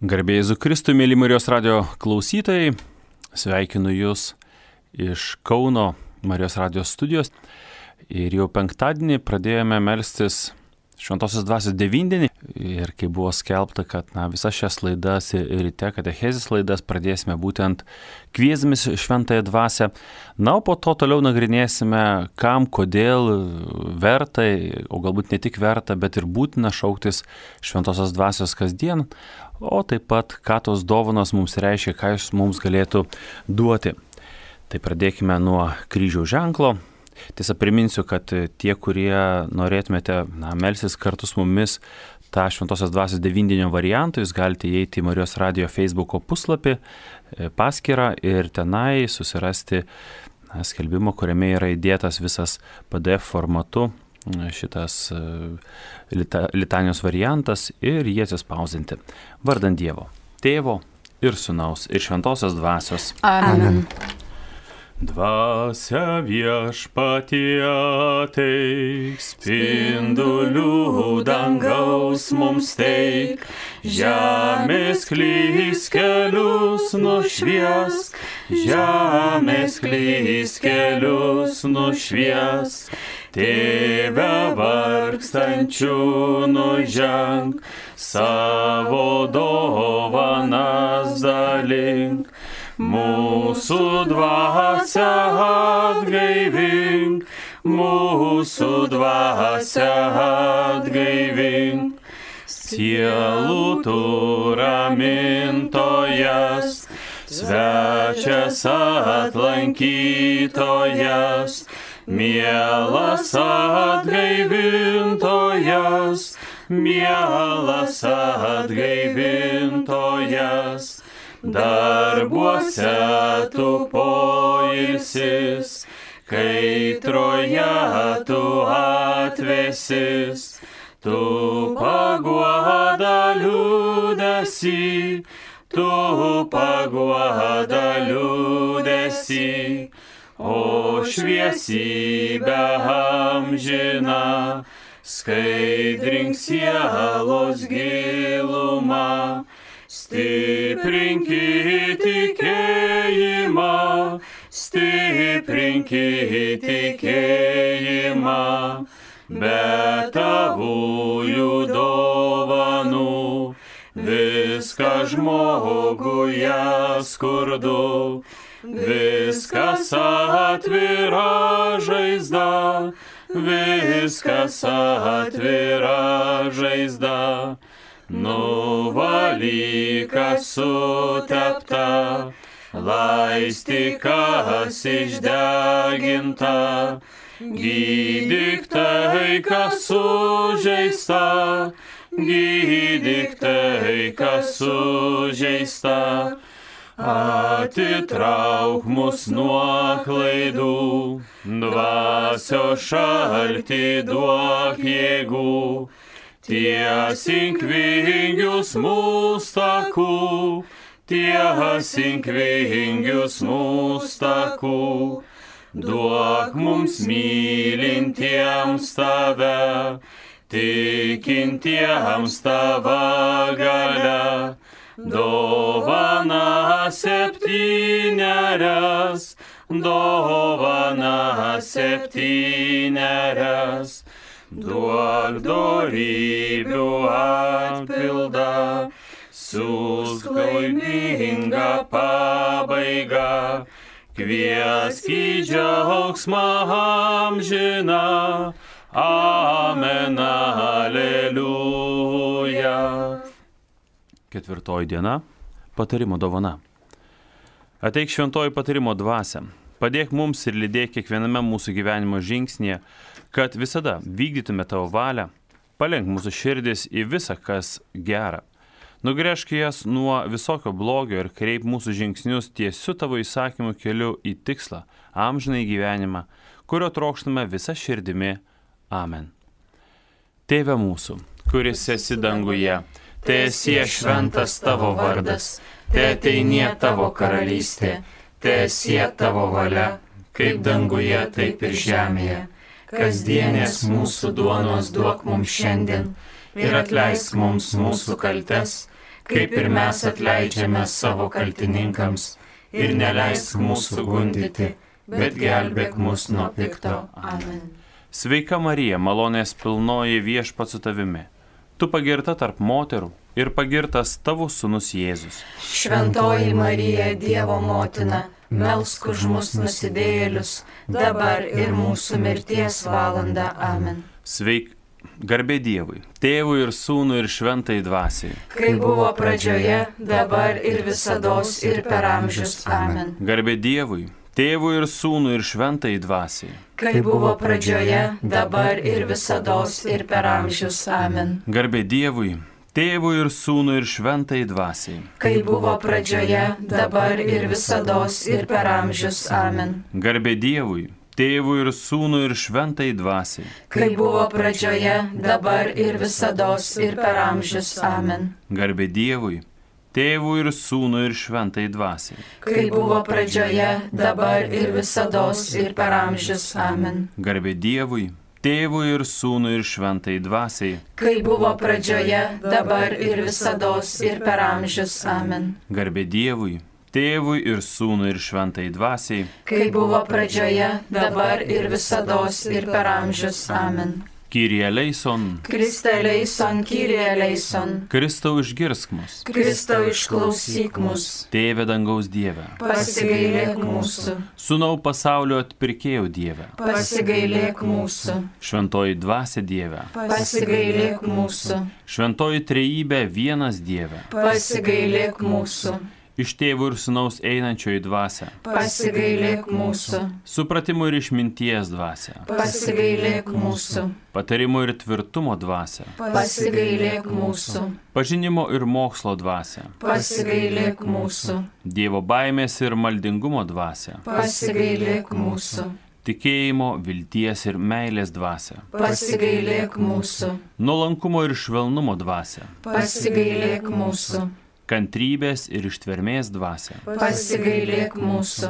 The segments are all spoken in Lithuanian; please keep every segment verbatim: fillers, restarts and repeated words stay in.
Garbė Jėzui Kristui, mėly Marijos radijo klausytojai, sveikinu Jūs iš Kauno Marijos radijo studijos. Ir jau penktadienį pradėjome melstis Šventosios dvasios devyndienį. Ir kai buvo skelbta, kad na, visas šias laidas ir ryte katechezės laidas pradėsime būtent kviesdamis Šventąją dvasią. Na, o po to toliau nagrinėsime, kam, kodėl verta, o galbūt ne tik verta, bet ir būtina šauktis Šventosios dvasios kasdien. O taip pat, ką tos dovanos mums reiškia, ką jis mums galėtų duoti. Tai pradėkime nuo kryžiaus ženklo. Tiesa, priminsiu, kad tie, kurie norėtumėte na, melsis kartu su mumis tą Šventosios dvasios devyndienio variantą, jūs galite įeiti į Marijos radijo Facebooko puslapį, paskyrą ir tenai susirasti na, skelbimą, kuriame yra įdėtas visas P D F formatu šitas lita, litanijos variantas ir jį atsispausdinti. Vardant Dievo, Tėvo ir Sūnaus ir Šventosios dvasios. Amen. Dvasia viešpatie ateik, spindulių dangaus mums teik, žemės klys kelius nušvies, žemės klys kelius nušvies, Tėve vargstančių nuženk, savo dovanas dalink. Mūsų dvasia atgaivink, mūsų dvasia atgaivink, sielų tu ramintojas, svečias atlankytojas, mielas atgaivintojas, mielas atgaivintojas. Darbuose tu poilsis, kaitroje tu atvesis, tu paguoda liūdesį, tu paguoda liūdesį, o šviesybę amžiną, skaidrink sielos gilumą. Stiprinkit tikėjimą, stiprinkit tikėjimą, be tavųjų dovanų, viską žmoguje skurdu, viskas atvira žaizda, viskas atvira žaizda. Nuvalykas sutepta, laistykas išdeginta, gydyk tai, kas sužeista, gydyk tai, kas sužeista, atitrauk mus nuo klaidų, dvasios šaltį duok jėgų. Tiesink vingius mūsų takų, tiesink vingius mūsų takų, duok mums mylintiems tave, tikintiems tava galia, dovana septynerias, dovana septynerias. Duok dorybių atpildą, siųsk laimingą pabaigą, kviesk į džiaugsmą amžiną, amen, aleliuja. Ketvirtoji diena – patarimo dovana. Ateik šventoji patarimo dvasia, padėk mums ir lydėk kiekviename mūsų gyvenimo žingsnyje, kad visada vykdytume tavo valią, palenk mūsų širdis į visą, kas gera. Nugręžk jas nuo visokio blogio ir kreip mūsų žingsnius tiesiu tavo įsakymų keliu į tikslą, amžinai gyvenimą, kurio trokštame visą širdimi. Amen. Tėve mūsų, kuris esi danguje, teesie šventas tavo vardas, teateinie tavo karalystė, teesie tavo valia, kaip danguje, taip ir žemėje. Kasdienės mūsų duonos duok mums šiandien ir atleisk mums mūsų kaltes, kaip ir mes atleidžiame savo kaltininkams, ir neleisk mūsų gundyti, bet gelbėk mus nuo pikto. Amen. Sveika Marija, malonės pilnoji, Viešpats su tavimi. Tu pagirta tarp moterų ir pagirtas tavo sūnus Jėzus. Šventoji Marija, Dievo motina, melsk už mus nusidėjėlius, dabar ir mūsų mirties valanda. Amen. Sveik, garbė Dievui, Tėvui ir Sūnui ir Šventai Dvasiai. Kaip buvo pradžioje, dabar ir visados ir per amžius. Amen. Garbė Dievui, Tėvui ir Sūnui ir Šventai Dvasiai. Kaip buvo pradžioje, dabar ir visados ir per amžius. Amen. Garbė Dievui, Tėvui ir Sūnui ir Šventai Dvasiai. Kaip buvo pradžioje, dabar ir visados ir per amžius. Amen. Garbė Dievui, Tėvui ir Sūnui ir Šventai Dvasiai. Kaip buvo pradžioje, dabar ir visados ir per amžius. Amen. Garbė Dievui, Tėvui ir Sūnui ir Šventai Dvasiai. Kaip buvo pradžioje, dabar ir visados ir per amžius. Amen. Garbė Dievui, Tėvui ir Sūnui ir Šventai Dvasiai. Kaip buvo pradžioje, dabar ir visados ir per amžius. Amen. Garbė Dievui, Tėvui ir Sūnui ir Šventai Dvasiai. Kaip buvo pradžioje, dabar ir visados ir per amžius. Amen. Kyrie eleison. Kriste eleison, Kyrie eleison. Kristau išgirsk mus. Kristau išklausyk mus. Tėve dangaus Dieve. Pasigailėk mūsų. Sūnau pasaulio atpirkėjau Dieve. Pasigailėk mūsų. Šventoji Dvasia Dieve. Pasigailėk mūsų. Šventoji Trejybė vienas Dieve. Pasigailėk mūsų. Iš Tėvo ir Sūnaus einančioji Dvasia. Pasigailėk mūsų. Supratimo ir išminties Dvasia. Pasigailėk mūsų. Patarimo ir tvirtumo Dvasia. Pasigailėk mūsų. Pažinimo ir mokslo Dvasia. Pasigailėk mūsų. Dievo baimės ir maldingumo Dvasia. Pasigailėk mūsų. Tikėjimo, vilties ir meilės Dvasia. Pasigailėk mūsų. Nuolankumo ir švelnumo Dvasia. Pasigailėk mūsų. Kantrybės ir ištvermės Dvasia. Pasigailėk mūsų.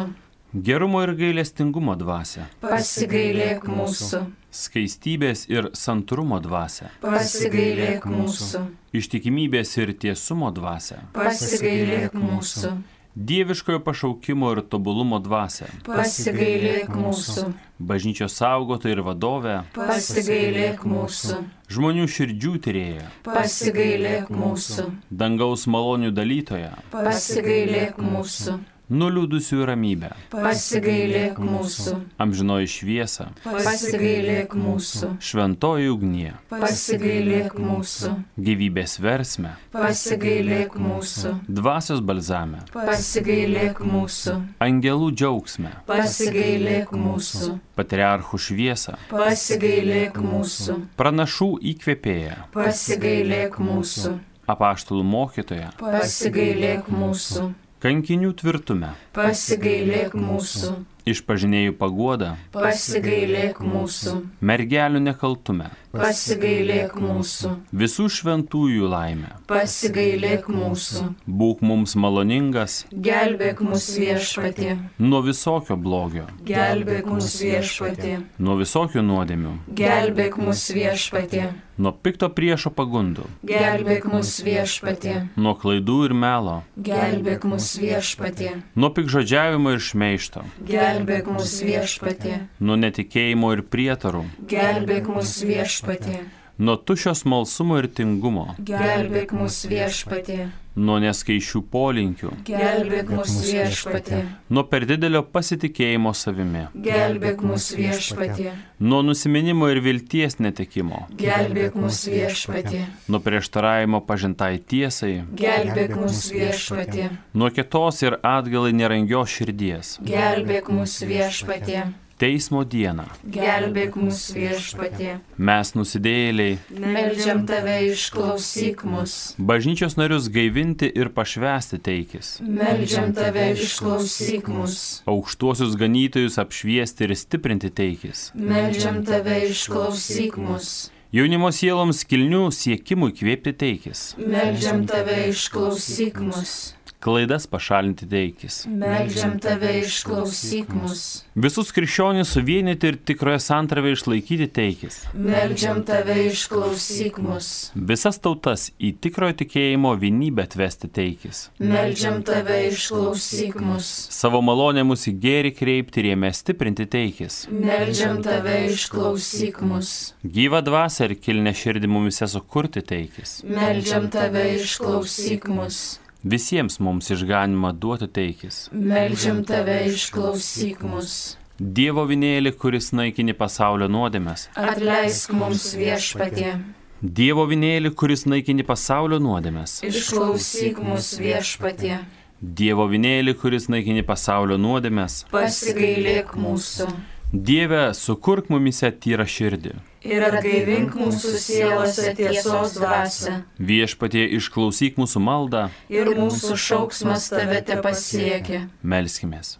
Gerumo ir gailestingumo Dvasia. Pasigailėk mūsų. Skaistybės ir santrumo Dvasia. Pasigailėk mūsų. Ištikimybės ir tiesumo Dvasia. Pasigailėk mūsų. Dieviškojo pašaukimo ir tobulumo Dvasia. Pasigailėk mūsų. Bažnyčios saugotoja ir vadovė. Pasigailėk mūsų. Žmonių širdžių tyrėja. Pasigailėk mūsų. Dangaus malonių dalytoja. Pasigailėk mūsų. Nuliūdusių ramybę. Pasigailėk mūsų. Amžinoji šviesa. Pasigailėk mūsų. Šventoji ugnie. Pasigailėk mūsų. Gyvybės versme. Pasigailėk mūsų. Dvasios balzame. Pasigailėk mūsų. Angelų džiaugsme. Pasigailėk mūsų. Patriarchų šviesa. Pasigailėk mūsų. Pranašų įkvėpėja. Pasigailėk mūsų. Apaštalų mokytoja. Pasigailėk mūsų. Kankinių tvirtume. Pasigailėk mūsų. Išpažinėjų paguoda. Pasigailėk mūsų. Mergelių nekaltume. Pasigailėk mūsų. Visų šventųjų laimę. Pasigailėk mūsų. Būk mums maloningas. Gelbėk mus Viešpatie. Nuo visokio blogio. Gelbėk mus Viešpatie. Nuo visokių nuodėmių. Gelbėk mus Viešpatie. Nuo pikto priešo pagundų. Gelbėk mus Viešpatie. Nuo klaidų ir melo. Gelbėk mus Viešpatie. Nuo pikžodžiavimo ir šmeižto. Gelbėk mus Viešpatie. Nuo netikėjimo ir prietarų. Gelbėk mus Viešpatie. Nuo tuščio smalsumo ir tingumo. Gelbėk mus Viešpatie. Nuo neskaičių polinkių. Gelbėk mus Viešpatie. Nuo per didelio pasitikėjimo savimi. Gelbėk mus Viešpatie. Nuo nusiminimo ir vilties netekimo. Gelbėk mus Viešpatie. Nuo prieštaravimo pažintai tiesai. Gelbėk mus Viešpatie. Nuo kietos ir atgalai nerangios širdies. Gelbėk mus Viešpatie. Teismo dieną. Gelbėk mus Viešpatie. Mes nusidėjėliai. Meldžiam tave, išklausyk mus. Bažnyčios narius gaivinti ir pašvęsti teikis. Meldžiam tave, išklausyk mus. Aukštuosius ganytojus apšviesti ir stiprinti teikis. Meldžiam tave, išklausyk mus. Jaunimo sieloms kilnių siekimų įkvėpti teikis. Meldžiam tave, išklausyk mus. klaidas pašalinti teikis. Meldžiam tave, išklausyk mus. Visus krikščionis suvienyti ir tikroje santarvę išlaikyti teikis. Meldžiam tave, išklausyk mus. Visas tautas į tikrojo tikėjimo vienybę atvesti teikis. Meldžiam tave, išklausyk mus. Savo malonę mus į gėrį kreipti ir jame stiprinti teikis. Meldžiam tave, išklausyk mus. Gyvą dvasią ir kilnę širdį mumise sukurti teikis. Meldžiam tave, išklausyk mus. Visiems mums išganimą duoti teikis. Meldžiam tave, išklausyk mus. Dievo vinėlį, kuris naikini pasaulio nuodėmes. Atleisk mums, Viešpatie. Dievo vinėlį, kuris naikini pasaulio nuodėmes. Išklausyk mus, Viešpatie. Dievo vinėlį, kuris naikini pasaulio nuodėmes. Pasigailėk mūsų. Dieve, sukurk mumise tyrą širdį. Ir atgaivink mūsų sielose tiesos dvasią. Viešpatie, išklausyk mūsų maldą. Ir mūsų šauksmas tave te pasiekia. Melskimės.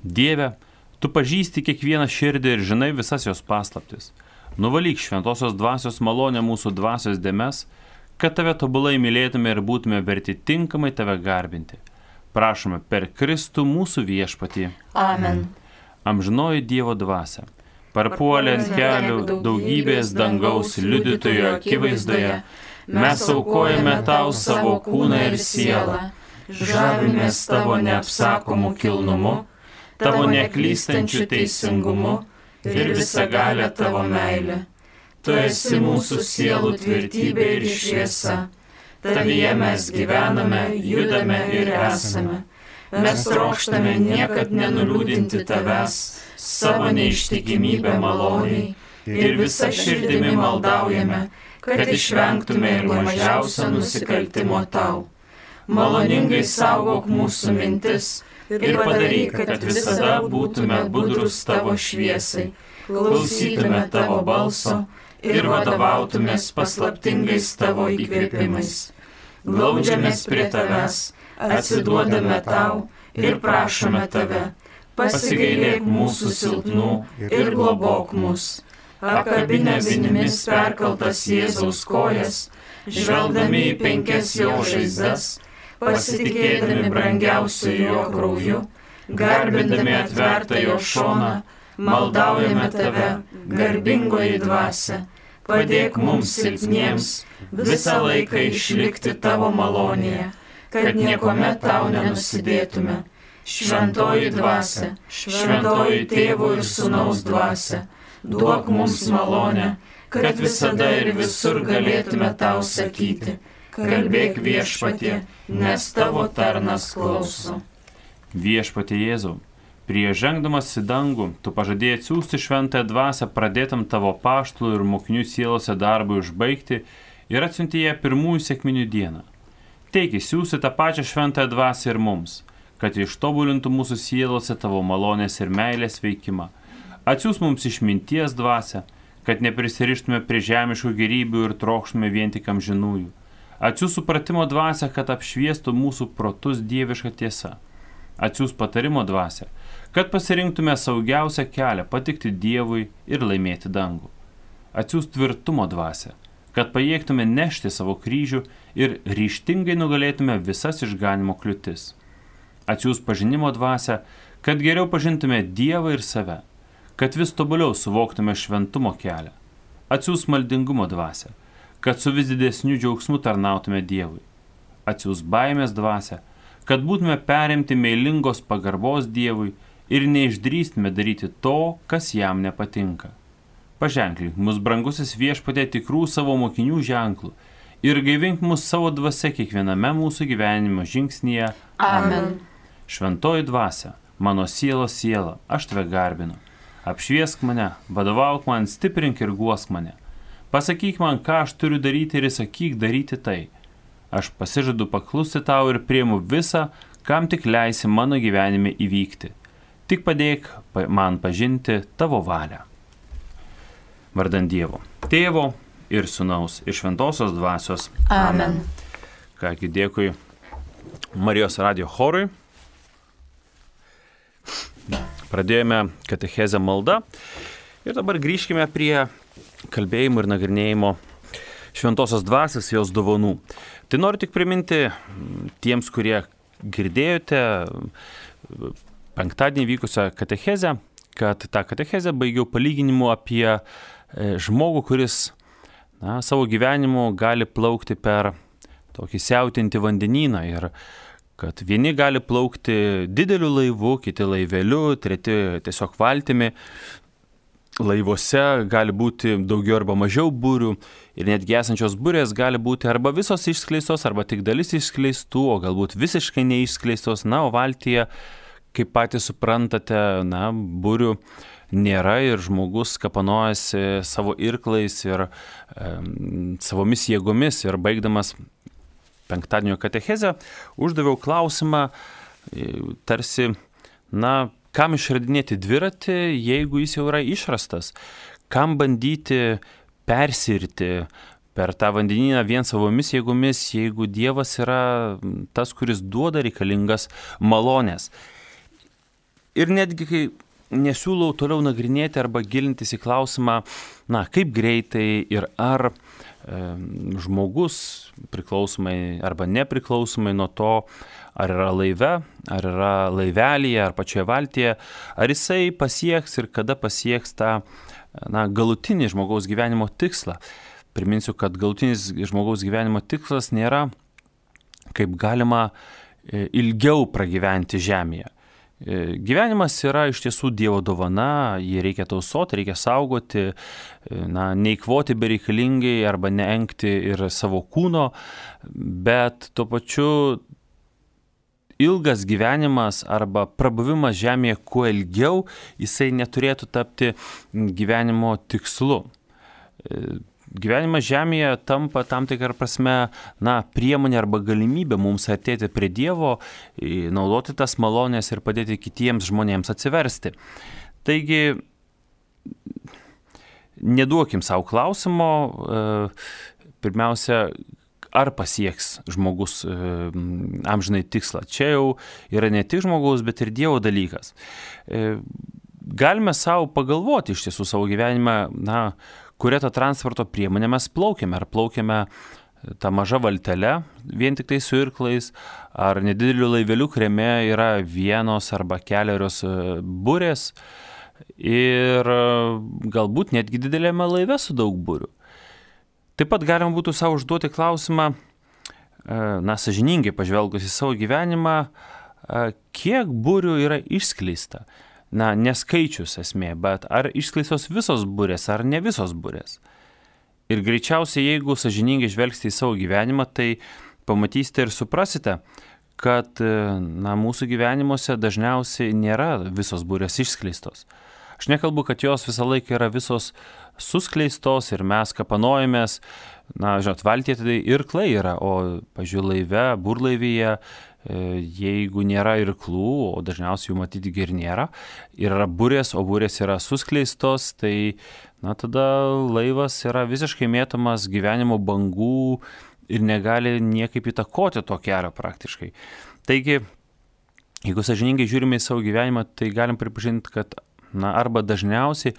Dieve, tu pažįsti kiekvieną širdį ir žinai visas jos paslaptis. Nuvalyk šventosios dvasios malonę mūsų dvasios dėmes, kad tave tobulai mylėtume ir būtume verti tinkamai tave garbinti. Prašome per Kristų mūsų Viešpatį. Amen. Amžinoji Dievo dvasia, parpuolė ant kelių daugybės dangaus liudytojų akivaizdoje, mes aukojame tau savo kūną ir sielą, žavimės tavo neapsakomų kilnumu, tavo neklystančių teisingumu ir visagalę tavo meilę. Tu esi mūsų sielų tvirtybė ir šviesa, tavyje mes gyvename, judame ir esame. Mes trokštame niekad nenuliūdinti tavęs, savo neištikimybę maloniai ir visą širdimi maldaujame, kad išvengtume ir mažiausio nusikaltimo tau. Maloningai saugok mūsų mintis ir padaryk, kad visada būtume budrus tavo šviesai, klausytume tavo balso ir vadovautumės paslaptingais tavo įkvėpimais. Glaudžiamės prie tavęs, atsiduodame tau ir prašome tave, pasigailėk mūsų silpnų ir globok mus. Apkabinę vinimis perkaltas Jėzaus kojas, žvelgdami į penkias jo žaizdas, pasitikėdami brangiausiu jo krauju, garbindami atvertą jo šoną, maldaujame tave, garbingoji dvasia, padėk mums silpniems visą laiką išlikti tavo malonėje, kad niekuomet tau nenusidėtume. Šventoji dvasia, šventoji tėvo ir sūnaus dvasia, duok mums malonę, kad visada ir visur galėtume tau sakyti, kalbėk Viešpatie, nes tavo tarnas klauso. Viešpatie Jėzau, prieš žengdamas į dangų, tu pažadėjai atsiųsti šventąją dvasią pradėtam tavo apaštalų ir mokinių sielose darbui užbaigti ir atsiuntė ją pirmųjų sekminių dieną. Teiki, siūsi tą pačią šventąją dvasią ir mums, kad ištobulintų mūsų sielose tavo malonės ir meilės veikimą. Atsiūs mums išminties dvasią, kad neprisirištume prie žemiškų gėrybių ir trokštume vien tik amžinųjų. Atsiūs supratimo dvasią, kad apšviestų mūsų protus dieviška tiesa. Atsiūs patarimo dvasią, kad pasirinktume saugiausią kelią patikti Dievui ir laimėti dangų. Atsiūs tvirtumo dvasią, kad pajėgtume nešti savo kryžių ir ryžtingai nugalėtume visas išganimo kliūtis. Atsiūs pažinimo dvasią, kad geriau pažintume Dievą ir save, kad vis tobuliau suvoktume šventumo kelią. Atsiūs maldingumo dvasią, kad su vis didesniu džiaugsmu tarnautume Dievui. Atsiūs baimės dvasią, kad būtume perimti meilingos pagarbos Dievui ir neišdrįstume daryti to, kas jam nepatinka. Paženklink mus, brangusis Viešpatie, tikrų savo mokinių ženklų ir gaivink mus savo dvasia kiekviename mūsų gyvenimo žingsnyje. Amen. Šventoji dvasia, mano sielos siela, aš tave garbinu. Apšviesk mane, vadovauk man, stiprink ir guosk mane. Pasakyk man, ką aš turiu daryti ir įsakyk daryti tai. Aš pasižadu paklusti tau ir priimu visą, kam tik leisi mano gyvenime įvykti. Tik padėk man pažinti tavo valią. Vardan Dievo, Tėvo ir Sūnaus ir Šventosios dvasios. Amen. Kągi, dėkui Marijos radijo chorui. Pradėjome katechezę maldą ir dabar grįžkime prie kalbėjimo ir nagrinėjimo Šventosios dvasios, jos dovanų. Tai noriu tik priminti tiems, kurie girdėjote penktadienį vykusią katechezę, kad tą katechezę baigiau palyginimu apie žmogų, kuris na, savo gyvenimu gali plaukti per tokį siautintį vandenyną ir kad vieni gali plaukti dideliu laivu, kiti laiveliu, treti tiesiog valtimi. Laivuose gali būti daugiau arba mažiau būrių ir netgi esančios būrės gali būti arba visos išskleistos, arba tik dalis išskleistų, o galbūt visiškai neišskleistos. Na, o valtyje, kaip patys suprantate, na, būrių nėra ir žmogus kapanojasi savo irklais ir e, savomis jėgomis. Ir baigdamas penktadienio katechezę, uždaviau klausimą, tarsi, na, kam išradinėti dviratį, jeigu jis jau yra išrastas? Kam bandyti persirti per tą vandenyną vien savomis jėgomis, jeigu Dievas yra tas, kuris duoda reikalingas malonės? Ir netgi, kai nesiūlau toliau nagrinėti arba gilintis į klausimą, na, kaip greitai ir ar e, žmogus priklausomai arba nepriklausomai nuo to, ar yra laive, ar yra laivelyje, ar pačioje valtyje, ar jisai pasieks ir kada pasieks tą na, galutinį žmogaus gyvenimo tikslą. Priminsiu, kad galutinis žmogaus gyvenimo tikslas nėra kaip galima ilgiau pragyventi žemėje. Gyvenimas yra iš tiesų Dievo dovana, jį reikia tausoti, reikia saugoti, na, neįkvoti bereikalingai arba neengti ir savo kūno, bet tuo pačiu ilgas gyvenimas arba prabuvimas žemėje kuo ilgiau, jisai neturėtų tapti gyvenimo tikslu. Gyvenimas žemėje tampa tam tikrą prasme, na, priemonė arba galimybė mums artėti prie Dievo, naudoti tas malonės ir padėti kitiems žmonėms atsiversti. Taigi, neduokim savo klausimo, pirmiausia, ar pasieks žmogus e, amžinai tikslą. Čia jau yra ne tik žmogaus, bet ir Dievo dalykas. E, galime savo pagalvoti iš tiesų savo gyvenime, na, kurią tą transporto priemonę mes plaukiame. Ar plaukiame tą mažą valtelę, vien tik tai su irklais, ar nedideliu laiveliu, kuriame yra vienos arba keliarios burės ir galbūt netgi didelėme laive su daug burių. Taip pat galima būtų savo užduoti klausimą, na, sąžiningai pažvelgus į savo gyvenimą, kiek būrių yra išskleista. Na, neskaičius esmė, bet ar išskleistos visos būrės, ar ne visos būrės. Ir greičiausiai, jeigu sąžiningai žvelgsite į savo gyvenimą, tai pamatysite ir suprasite, kad, na, mūsų gyvenimuose dažniausiai nėra visos būrės išskleistos. Aš nekalbu, kad jos visą laiką yra visos suskleistos ir mes kapanojamės, na, žinot, valtyje tai irklai yra, o, pažiūrėjau, laive, burlaivyje, jeigu nėra irklų, o dažniausiai jų matyti ir nėra, ir yra burės, o burės yra suskleistos, tai, na, tada laivas yra visiškai mėtomas gyvenimo bangų ir negali niekaip įtakoti to kelio praktiškai. Taigi, jeigu sąžiningai žiūrime į savo gyvenimą, tai galim pripažinti, kad, na, arba dažniausiai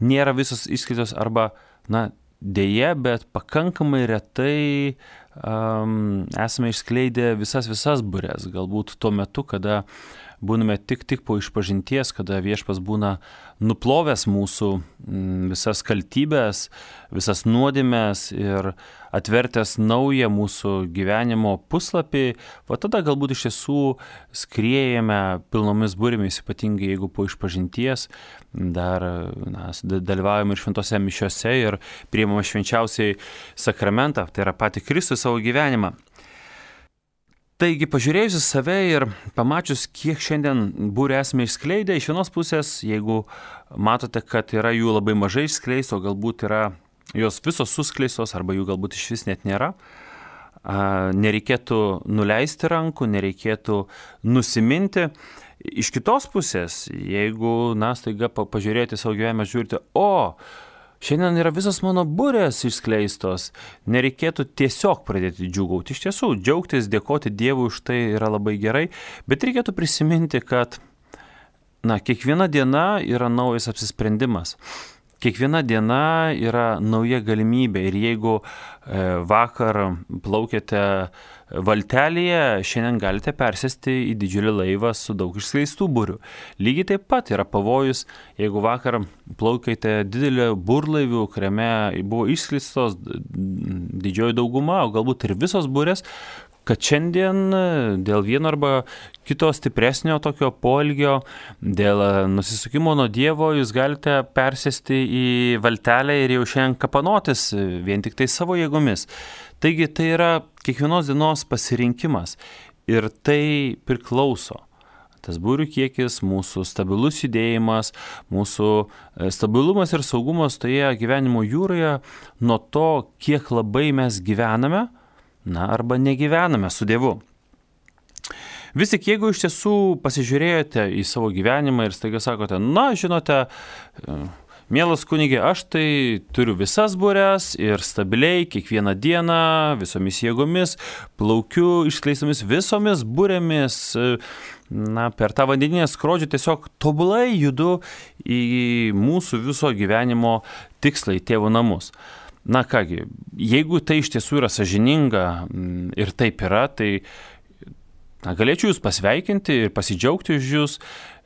nėra visos išskleistos, arba, na, dėje, bet pakankamai retai um, esame išskleidę visas visas būrės. Galbūt tuo metu, kada būname tik tik po išpažinties, kada viešpas būna nuplovęs mūsų mm, visas kaltybės, visas nuodėmes ir atvertęs naują mūsų gyvenimo puslapį, va tada galbūt iš tiesų skriejame pilnomis būrėmis, ypatingai jeigu po išpažinties dar na, dalyvaujame ir šventose mišiose ir priimame švenčiausiai sakramentą, tai yra patį Kristų savo gyvenimą. Taigi, pažiūrėjus į save ir pamačius, kiek šiandien būrių esame išskleidę, iš vienos pusės, jeigu matote, kad yra jų labai mažai išskleisto, galbūt yra jos visos suskleistos, arba jų galbūt iš vis net nėra, nereikėtų nuleisti rankų, nereikėtų nusiminti. Iš kitos pusės, jeigu, na, staiga pažiūrėti savo gyvenimą, žiūrite, o, šiandien yra visos mano būrės išskleistos, nereikėtų tiesiog pradėti džiūgauti. Iš tiesų, džiaugtis, dėkoti Dievui už tai yra labai gerai, bet reikėtų prisiminti, kad, na, kiekviena diena yra naujas apsisprendimas. kiekviena diena yra nauja galimybė ir jeigu vakar plaukėte valtelėje, šiandien galite persėsti į didžiulį laivą su daug išskleistų burių. Lygiai taip pat yra pavojus, jeigu vakar plaukėte didelį burlaivių, kuriame buvo išskleistos didžioji dauguma, o galbūt ir visos burės, kad šiandien dėl vieno arba kito stipresnio tokio poelgio, dėl nusisukimo nuo Dievo, jūs galite persėsti į valtelę ir jau šiandien kapanotis vien tik tai savo jėgomis. Taigi tai yra kiekvienos dienos pasirinkimas ir tai priklauso. Tas burių kiekis, mūsų stabilus judėjimas, mūsų stabilumas ir saugumas toje gyvenimo jūroje nuo to, kiek labai mes gyvename, na, arba negyvename su Dievu. Vis tik, jeigu iš tiesų pasižiūrėjote į savo gyvenimą ir staiga sakote, na, žinote, mielas kunigė, aš tai turiu visas bures ir stabiliai kiekvieną dieną, visomis jėgomis, plaukiu išskleistomis visomis burėmis, na, per tą vandeninę skrodžių tiesiog tobulai judu į mūsų viso gyvenimo tikslą, į tėvo namus. Na kągi, jeigu tai iš tiesų yra sąžininga ir taip yra, tai na, galėčiau jūs pasveikinti ir pasidžiaugti už jūs.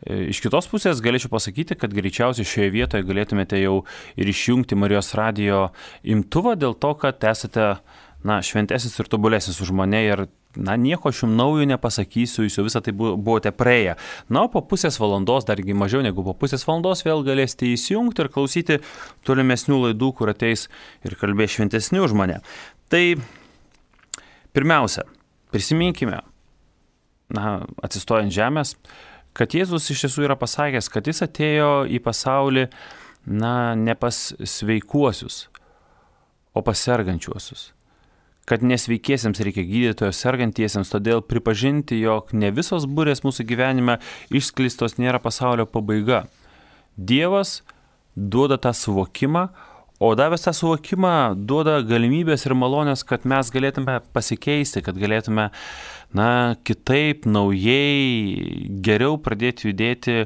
Iš kitos pusės galėčiau pasakyti, kad greičiausiai šioje vietoje galėtumėte jau ir išjungti Marijos radijo imtuvą dėl to, kad esate, na, šventesnis ir tobulesnis už mane ir, na, nieko aš jums naujo nepasakysiu, jūs jau visą tai buvote praėję. Na, o po pusės valandos, dargi mažiau negu po pusės valandos, vėl galėsite įsijungti ir klausyti tolimesnių laidų, kur ateis ir kalbės šventesni už mane. Tai pirmiausia, prisiminkime, na, atsistojant žemės, kad Jėzus iš tiesų yra pasakęs, kad jis atėjo į pasaulį, na, ne pas sveikuosius, o pas sergančiuosius. Kad nesveikiesiems reikia gydytojo, sergantiesiems, todėl pripažinti, jog ne visos burės mūsų gyvenime išskleistos nėra pasaulio pabaiga. Dievas duoda tą suvokimą, o davęs tą suvokimą duoda galimybės ir malonės, kad mes galėtume pasikeisti, kad galėtume, na, kitaip, naujai, geriau pradėti judėti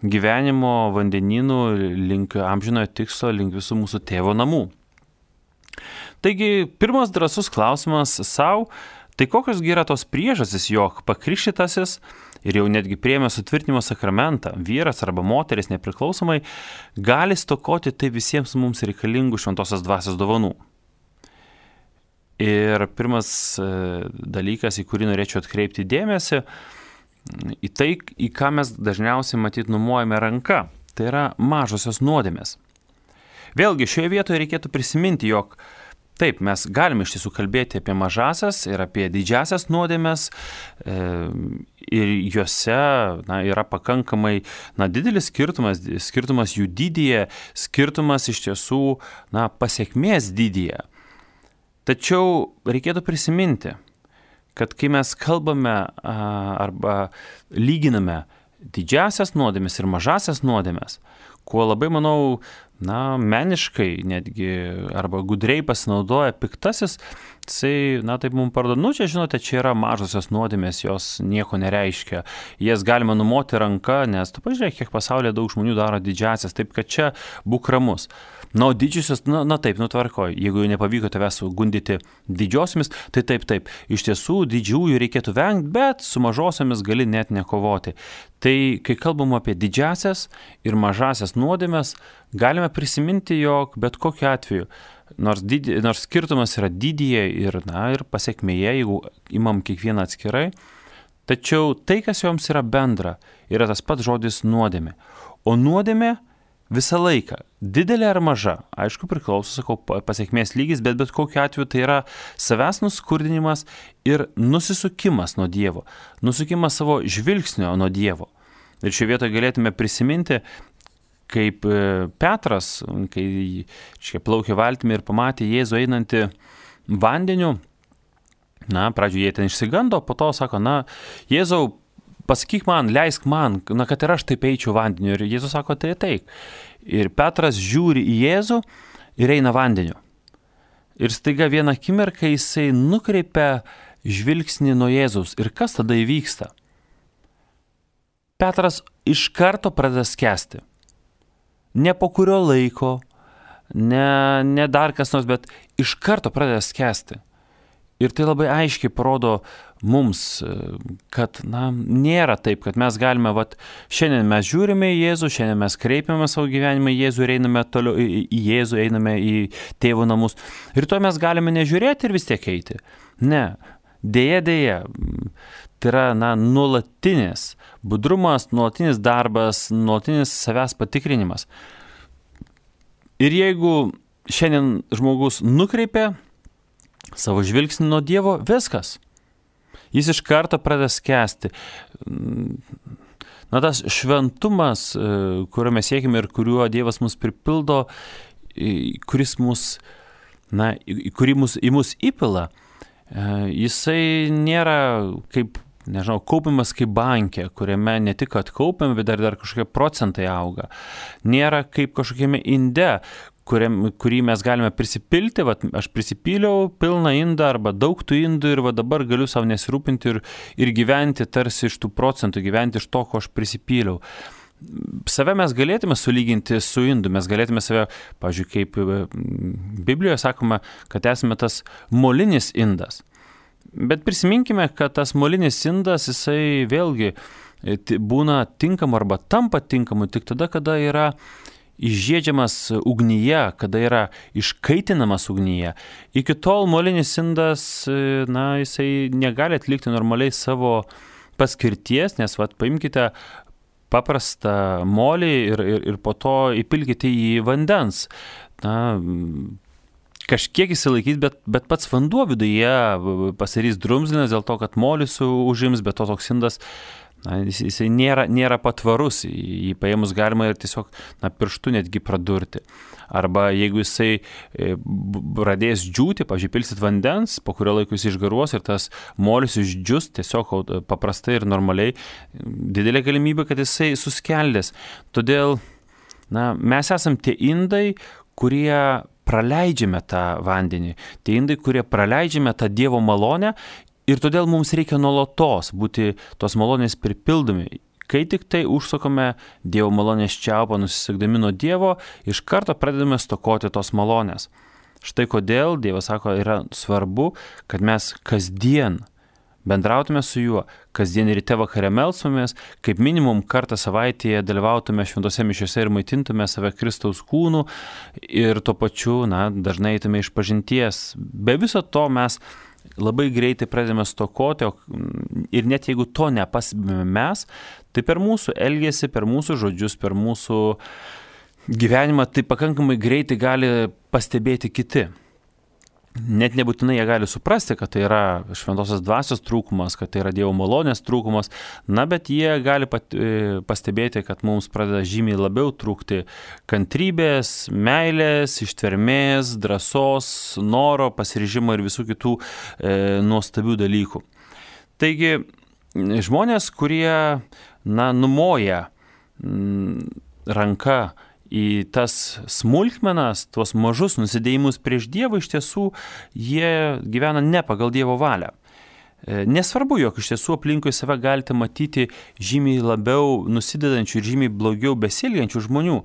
gyvenimo vandenynų link amžinojo tikslo, link visų mūsų tėvo namų. Taigi, pirmas drąsus klausimas savo, tai kokios yra tos priežastys, jog pakrikštytasis ir jau netgi priėmė sutvirtinimo sakramentą, vyras arba moteris nepriklausomai, gali stokoti tai visiems mums reikalingų šventosios dvasios dovanų. Ir pirmas dalykas, į kurį norėčiau atkreipti dėmesį, į tai, į ką mes dažniausiai matyt numuojame ranka, tai yra mažosios nuodėmės. Vėlgi, šioje vietoje reikėtų prisiminti, jog taip, mes galime iš tiesų kalbėti apie mažasias ir apie didžiasias nuodėmes e, ir juose, na, yra pakankamai, na, didelis skirtumas, skirtumas jų dydyje, skirtumas iš tiesų, na, pasiekmės dydyje. Tačiau reikėtų prisiminti, kad kai mes kalbame a, arba lyginame didžiasias nuodėmes ir mažasias nuodėmes, kuo labai, manau, na, meniškai netgi arba gudriai pasinaudoja piktasis, jisai, na, taip mums parodo, nu, čia, žinote, čia yra mažosios nuodėmės, jos nieko nereiškia, jas galima numoti ranka, nes tu pažiūrėk, kiek pasaulyje daug žmonių daro didžiasias, taip kad čia būk ramus. Na, o didžiosios, na, na taip, nutvarkoj, jeigu jau nepavyko tavęs gundyti didžiosiomis, tai taip, taip, iš tiesų didžiųjų reikėtų vengti, bet su mažosiomis gali net nekovoti. Tai, kai kalbam apie didžiasias ir mažasias nuodėmes, galime prisiminti, jog bet kokiu atveju, nors, didi, nors skirtumas yra didyje ir, na, ir pasiekmėje, jeigu imam kiekvieną atskirai, tačiau tai, kas joms yra bendra, yra tas pats žodis nuodėmė. O nuodėmė visą laiką, didelė ar maža, aišku, priklauso, sakau, pasiekmės lygis, bet bet kokiu atveju tai yra savęs nuskurdinimas ir nusisukimas nuo Dievo, nusukimas savo žvilgsnio nuo Dievo. Ir šioje vietoje galėtume prisiminti, kaip Petras, kai škia plaukė valtimi ir pamatė Jėzų einantį vandeniu, na, pradžioje jie ten išsigando, po to sako, na, Jėzau, pasakyk man, leisk man, na, kad ir aš taip eičiau vandeniu. Ir Jėzus sako, tai taip. Ir Petras žiūri į Jėzų ir eina vandeniu. Ir staiga vieną akimirką jisai nukreipia žvilgsnį nuo Jėzaus. Ir kas tada įvyksta? Petras iš karto pradeda skęsti. Ne po kurio laiko, ne, ne dar kas nors, bet iš karto pradeda skęsti. Ir tai labai aiškiai parodo mums, kad na, nėra taip, kad mes galime, vat, šiandien mes žiūrime į Jėzų, šiandien mes kreipiame savo gyvenimą į Jėzų ir einame toliau į Jėzų, einame į tėvo namus. Ir to mes galime nežiūrėti ir vis tiek eiti. Ne, dėja, dėja. Tai yra na, nuolatinis budrumas, nuolatinis darbas, nuolatinis savęs patikrinimas. Ir jeigu šiandien žmogus nukreipia savo žvilgsnį nuo Dievo, viskas. Jis iš karto pradeda skęsti. Na, tas šventumas, kurio mes siekime ir kuriuo Dievas mus pripildo, kuris mus, na, kurį mus, į mus įpila, jisai nėra kaip, nežinau, kaupimas kaip bankė, kuriame ne tik atkaupiam, bet dar, dar kažkokie procentai auga. Nėra kaip kažkokiame inde, kuriam, kurį mes galime prisipilti, vat, aš prisipyliau pilną indą arba daug tų indų ir va dabar galiu savo nesirūpinti ir, ir gyventi tarsi iš tų procentų, gyventi iš to, ko aš prisipyliau. Save mes galėtume sulyginti su indu, mes galėtume save, pavyzdžiui, kaip Biblijoje sakoma, kad esame tas molinis indas. Bet prisiminkime, kad tas molinis indas, jisai vėlgi būna tinkamu arba tampa tinkamu tik tada, kada yra išžiedžiamas ugnyje, kada yra iškaitinamas ugnyje. Iki tol molinis indas, na, jisai negali atlikti normaliai savo paskirties, nes, vat, paimkite paprastą molį ir, ir, ir po to įpilkite į vandens. Na, kažkiek įsilaikys, bet, bet pats vanduo viduje pasirys drumzlinas dėl to, kad molis užims, bet to toks indas, na, jis, jisai nėra, nėra patvarus, jį paėmus galima ir tiesiog na, pirštu netgi pradurti. Arba jeigu jisai pradės džiūti, pavyzdžiui, pilsit vandens, po kurio laiko jis išgaruos ir tas molis išdžius tiesiog paprastai ir normaliai, didelė galimybė, kad jisai suskeldės. Todėl na, mes esam tie indai, kurie praleidžiame tą vandenį, tie indai, kurie praleidžiame tą Dievo malonę. Ir todėl mums reikia nuolatos būti tos malonės pripildomi. Kai tik tai užsukome Dievo malonės čiaupą, nusisegdami nuo Dievo, iš karto pradedame stokoti tos malonės. Štai kodėl Dievas sako, yra svarbu, kad mes kasdien bendrautume su juo, kasdien ryte vakare melstumės, kaip minimum kartą savaitėje dalyvautume šventose mišiose ir maitintume save Kristaus kūnu ir tuo pačiu, na, dažnai eitume iš pažinties. Be viso to mes labai greitai pradedame stokoti ir net jeigu to nepastebime mes, tai per mūsų elgesį, per mūsų žodžius, per mūsų gyvenimą tai pakankamai greitai gali pastebėti kiti. Net nebūtinai jie gali suprasti, kad tai yra šventosios dvasios trūkumas, kad tai yra Dievo malonės trūkumas, na, bet jie gali pat, pastebėti, kad mums pradeda žymiai labiau trūkti kantrybės, meilės, ištvermės, drąsos, noro, pasiryžimo ir visų kitų e, nuostabių dalykų. Taigi, žmonės, kurie, na, numoja m, ranka į tas smulkmenas, tuos mažus nusidėjimus prieš Dievą, iš tiesų jie gyvena ne pagal Dievo valią. Nesvarbu, jog iš tiesų aplinkui save galite matyti žymiai labiau nusidedančių ir žymiai blogiau besielgiančių žmonių.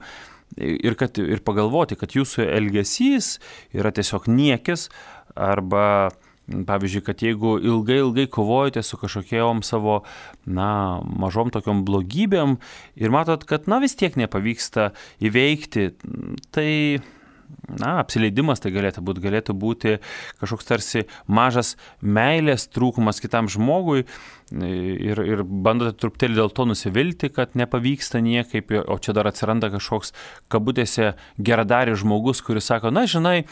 Ir, kad, ir pagalvoti, kad jūsų elgesys yra tiesiog niekis arba pavyzdžiui, kad jeigu ilgai, ilgai kovojate su kažkokiom savo, na, mažom tokiom blogybėm ir matot, kad, na, vis tiek nepavyksta įveikti, tai, na, apsileidimas tai galėtų būti, galėtų būti kažkoks tarsi mažas meilės trūkumas kitam žmogui ir, ir bandote truputėlį dėl to nusivilti, kad nepavyksta niekaip, o čia dar atsiranda kažkoks kabutėse geradaris žmogus, kuris sako, na, žinai,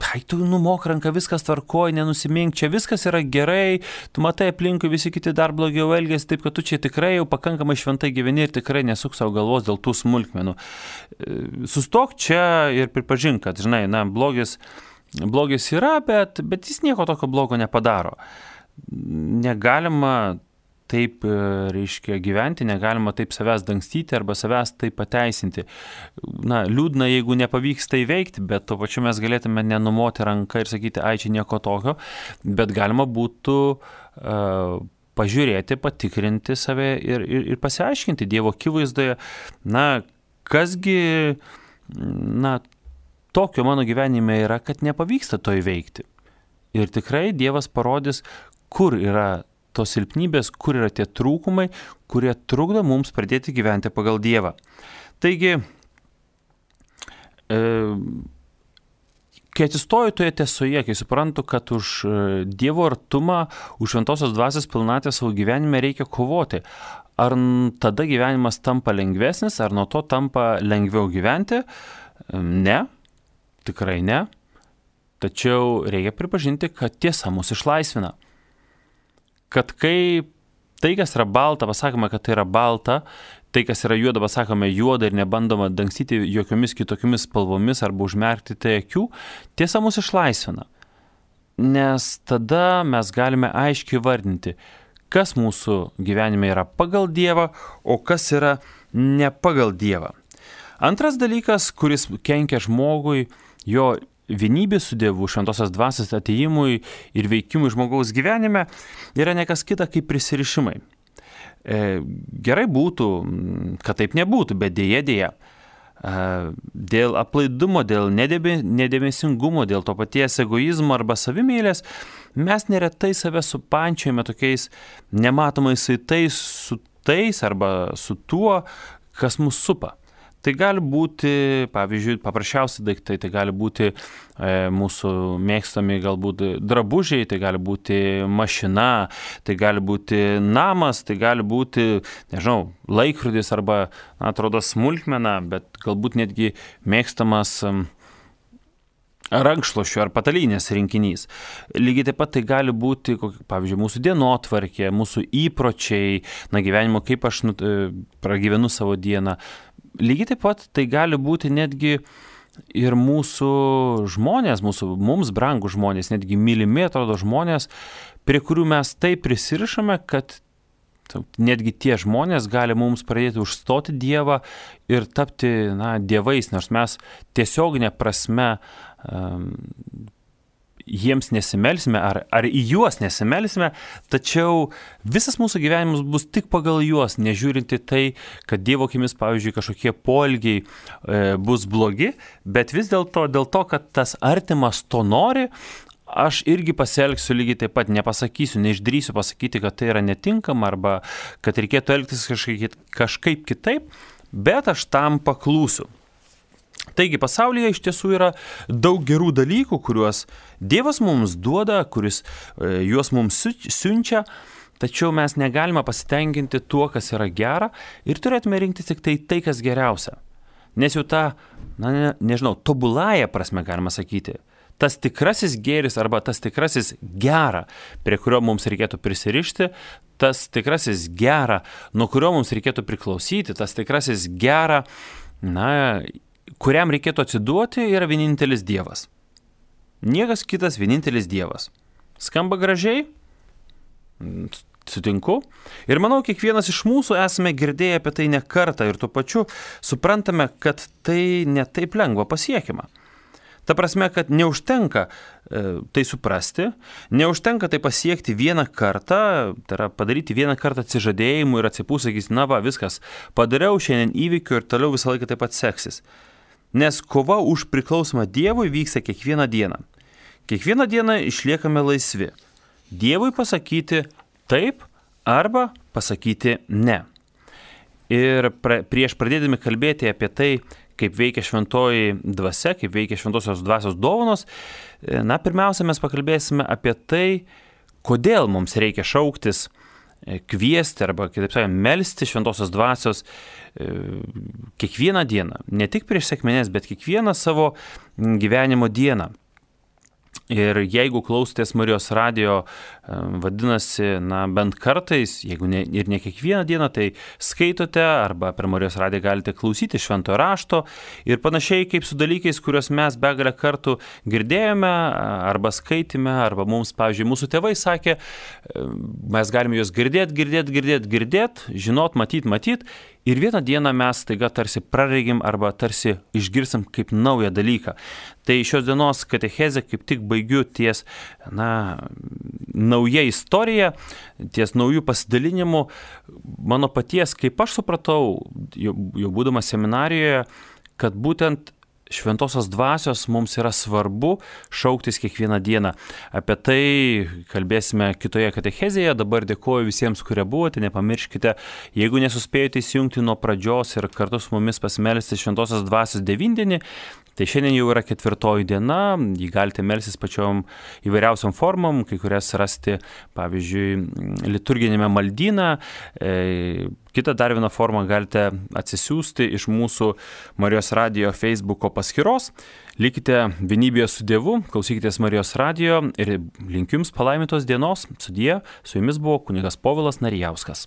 ai, tu numok ranką, viskas tvarkoj, nenusimink, čia viskas yra gerai, tu matai aplinkui visi kiti dar blogiau elgiasi, taip kad tu čia tikrai jau pakankamai šventai gyveni ir tikrai nesuk savo galvos dėl tų smulkmenų. Sustok čia ir pripažink, kad, žinai, na, blogis, blogis yra, bet, bet jis nieko tokio blogo nepadaro. Negalima taip, reiškia, gyventi, negalima taip savęs dangstyti arba savęs taip pateisinti. Na, liūdna, jeigu nepavyks tai veikti, bet tuo pačiu mes galėtume nenumoti ranką ir sakyti, ai, čia nieko tokio, bet galima būtų uh, pažiūrėti, patikrinti save ir, ir, ir pasiaiškinti Dievo akivaizdoje, na, kasgi, na, tokio mano gyvenime yra, kad nepavyksta to įveikti. Ir tikrai Dievas parodys, kur yra tos silpnybės, kur yra tie trūkumai, kurie trukdo mums pradėti gyventi pagal Dievą. Taigi, e, kai atsistoju toje tiesoje, kai suprantu, kad už Dievo artumą, už šventosios dvasios pilnatvę savo gyvenime reikia kovoti, ar tada gyvenimas tampa lengvesnis, ar nuo to tampa lengviau gyventi? Ne, tikrai ne. Tačiau reikia pripažinti, kad tiesa mus išlaisvina. Kad kai tai, kas yra balta, pasakome, kad tai yra balta, tai, kas yra juoda, pasakome juoda ir nebandoma dangstyti jokiomis kitokiamis spalvomis arba užmerkti tai akių, tiesa mus išlaisvina. Nes tada mes galime aiškiai vardinti, kas mūsų gyvenime yra pagal Dievą, o kas yra ne pagal Dievą. Antras dalykas, kuris kenkia žmogui, jo vienybė su Dievu, šventosios dvasios atėjimui ir veikimui žmogaus gyvenime, yra nekas kita kaip prisirišimai. E, gerai būtų, kad taip nebūtų, bet dėja dėja. E, dėl aplaidumo, dėl nedėmesingumo, dėl to paties egoizmo arba savimėlės, mes neretai save supančiojame tokiais nematomais saitais su tais arba su tuo, kas mus supa. Tai gali būti, pavyzdžiui, paprasčiausi daiktai, tai gali būti e, mūsų mėgstami galbūt drabužiai, tai gali būti mašina, tai gali būti namas, tai gali būti, nežinau, laikrodis arba, na, atrodo, smulkmena, bet galbūt netgi mėgstamas rankšluosčių ar patalynės rinkinys. Lygiai taip pat tai gali būti, pavyzdžiui, mūsų dienotvarkė, mūsų įpročiai, na, gyvenimo, kaip aš nu, pragyvenu savo dieną. Lygiai taip pat tai gali būti netgi ir mūsų žmonės, mūsų mums brangų žmonės, netgi mylimi atrodo žmonės, prie kurių mes taip prisirišame, kad netgi tie žmonės gali mums pradėti užstoti Dievą ir tapti, na, dievais, nors mes tiesioginė prasme um, jiems nesimelsime ar, ar į juos nesimelsime, tačiau visas mūsų gyvenimas bus tik pagal juos, nežiūrinti tai, kad Dievo akimis, pavyzdžiui, kažkokie poelgiai e, bus blogi, bet vis dėlto, dėl to, kad tas artimas to nori, aš irgi pasielgsiu lygiai taip pat, nepasakysiu, neišdrįsiu pasakyti, kad tai yra netinkama arba kad reikėtų elgtis kažkaip, kažkaip kitaip, bet aš tam paklūsiu. Taigi pasaulyje iš tiesų yra daug gerų dalykų, kuriuos Dievas mums duoda, kuris e, juos mums siunčia, tačiau mes negalime pasitenkinti tuo, kas yra gera ir turėtume rinktis tik tai tai, kas geriausia. Nes jau ta, na, ne, nežinau, tobuląją prasme galima sakyti, tas tikrasis gėris arba tas tikrasis gera, prie kurio mums reikėtų prisirišti, tas tikrasis gera, nuo kurio mums reikėtų priklausyti, tas tikrasis gera, na, kuriam reikėtų atsiduoti, yra vienintelis Dievas. Niekas kitas, vienintelis Dievas. Skamba gražiai? Sutinku. Ir manau, kiekvienas iš mūsų esame girdėję apie tai ne kartą ir tuo pačiu suprantame, kad tai ne taip lengva pasiekiama. Ta prasme, kad neužtenka e, tai suprasti, neužtenka tai pasiekti vieną kartą, tai yra padaryti vieną kartą atsižadėjimų ir atsipūs, sakys, na va, viskas, padariau šiandien įvykių ir toliau visą laiką taip pat seksis. Nes kova už priklausomą Dievui vyksta kiekvieną dieną. Kiekvieną dieną išliekame laisvi. Dievui pasakyti taip arba pasakyti ne. Ir pra, prieš pradėdami kalbėti apie tai, kaip veikia šventoji dvasia, kaip veikia šventosios dvasios dovanos, na, pirmiausia, mes pakalbėsime apie tai, kodėl mums reikia šauktis, kviesti arba, kitaip sakant, melsti šventosios dvasios kiekvieną dieną. Ne tik prieš sekmines, bet kiekvieną savo gyvenimo dieną. Ir jeigu klausotės Marijos radijo, vadinasi, na, bent kartais, jeigu ne, ir ne kiekvieną dieną, tai skaitote arba per Marijos radiją galite klausyti šventojo rašto ir panašiai kaip su dalykais, kuriuos mes begalę kartų girdėjome arba skaitėme, arba mums, pavyzdžiui, mūsų tėvai sakė, mes galime juos girdėti, girdėti, girdėti, girdėti, žinot, matyt, matyt. Ir vieną dieną mes taiga tarsi praregim arba tarsi išgirsim kaip naują dalyką. Tai šios dienos katechezę kaip tik baigiu ties, na, nauja istorija, ties naujų pasidalinimų. Mano paties, kaip aš supratau, jau, jau būdamas seminarijoje, kad būtent šventosios dvasios mums yra svarbu šauktis kiekvieną dieną. Apie tai kalbėsime kitoje katechezėje. Dabar dėkoju visiems, kurie buvote. Nepamirškite, jeigu nesuspėjote įsijungti nuo pradžios ir kartu su mumis pasimelsti šventosios dvasios devindienį, tai šiandien jau yra ketvirtoji diena, jį galite melstis pačiom įvairiausiom formom, kai kurias rasti, pavyzdžiui, liturginėme maldyne. E, kitą dar vieną formą galite atsisiųsti iš mūsų Marijos radijo Facebooko paskyros. Likite vienybėje su Dievu, klausykitės Marijos radijo ir linkiu jums palaimintos dienos. Sudie, su jumis buvo kunigas Povilas Narijauskas.